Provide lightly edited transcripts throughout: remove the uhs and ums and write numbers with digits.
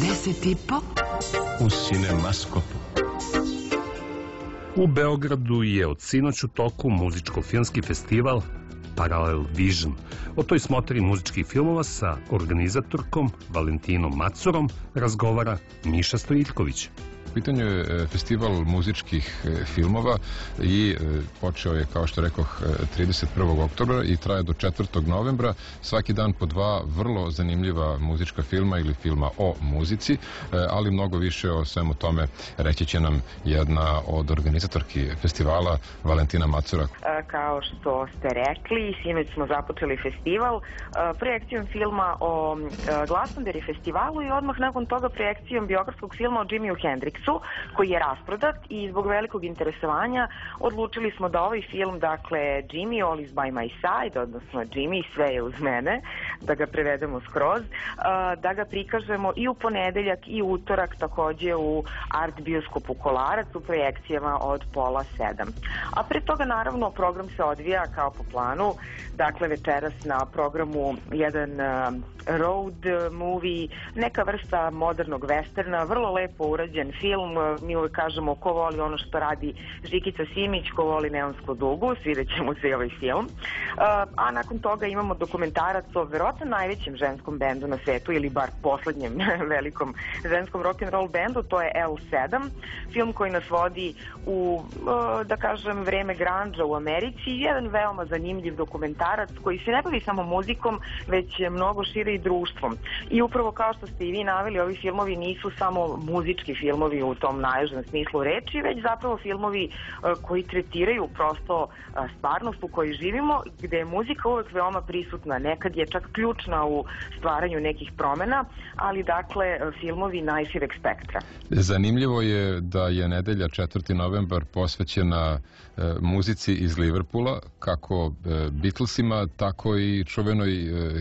10,5 u Cinemaskopu. U Beogradu je od sinoć u toku muzičko-filmski festival Parallel Vision. O toj smotri muzičkih filmova sa organizatorkom Valentinom Macurom razgovara Miša Stojiljković. U pitanju je festival muzičkih filmova i počeo je, kao što rekoh, 31. oktobra i traje do 4. novembra. Svaki dan po dva vrlo zanimljiva muzička filma ili filma o muzici, ali mnogo više o svemu tome reći će nam jedna od organizatorki festivala, Valentina Macura. Kao što ste rekli, sinoć smo započeli festival projekcijom filma o Glastonbury festivalu i odmah nakon toga projekcijom biografskog filma o Jimiu Hendrixu, koji je rasprodat, i zbog velikog interesovanja odlučili smo da ovaj film, dakle Jimmy, All is by my side, odnosno Jimmy, sve je uz mene, da ga prevedemo skroz, da ga prikažemo i u ponedeljak i utorak takođe u Art bioskopu Kolarac u projekcijama od 6:30. A pre toga naravno program se odvija kao po planu, dakle večeras na programu jedan road movie, neka vrsta modernog westerna, vrlo lepo urađen film. Mi uvek kažemo ko voli ono što radi Žikica Simić, ko voli Neonsku dugu, svirat će mu se i ovaj film. A nakon toga imamo dokumentarac o verovatno najvećem ženskom bendu na svetu, ili bar poslednjem velikom ženskom rock'n'roll bendu, to je L7, film koji nas vodi u, da kažem, vreme grandža u Americi, jedan veoma zanimljiv dokumentarac koji se ne bavi samo muzikom, već mnogo šire i društvom. I upravo kao što ste i vi naveli, ovi filmovi nisu samo muzički filmovi u tom najužem smislu reči, već zapravo filmovi koji tretiraju prosto stvarnost u kojoj živimo, gde je muzika uvek veoma prisutna, nekad je čak ključna u stvaranju nekih promena, ali dakle filmovi najšireg spektra. Zanimljivo je da je nedelja 4. novembar posvećena muzici iz Liverpoola, kako Beatlesima, tako i čuvenoj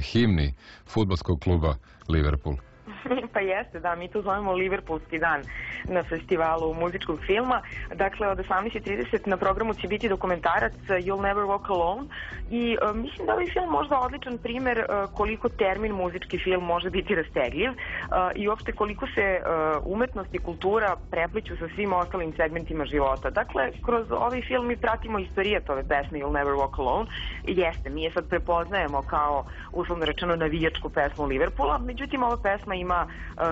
himni fudbalskog kluba Liverpool. Pa jeste, da, mi to zovemo Liverpoolski dan na festivalu muzičkog filma. Dakle, od 18:30 na programu će biti dokumentarac You'll Never Walk Alone i mislim da ovaj film možda odličan primer koliko termin muzički film može biti rastegljiv i uopšte koliko se umetnost i kultura prepliću sa svim ostalim segmentima života. Dakle, kroz ovaj film mi pratimo istorijet ove pesme You'll Never Walk Alone. Jeste, mi je sad prepoznajemo kao, uslovno rečeno, navijačku pesmu Liverpoola, međutim ova pesma ima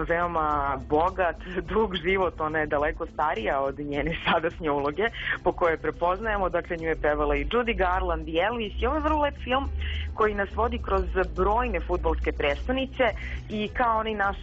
veoma bogat, dug život, ona je daleko starija od njene sadašnje uloge po kojoj prepoznajemo, dakle nju je pevala i Judy Garland i Elvis i ovo je vrlo lep film koji nas vodi kroz brojne fudbalske prestonice i kao onaj naš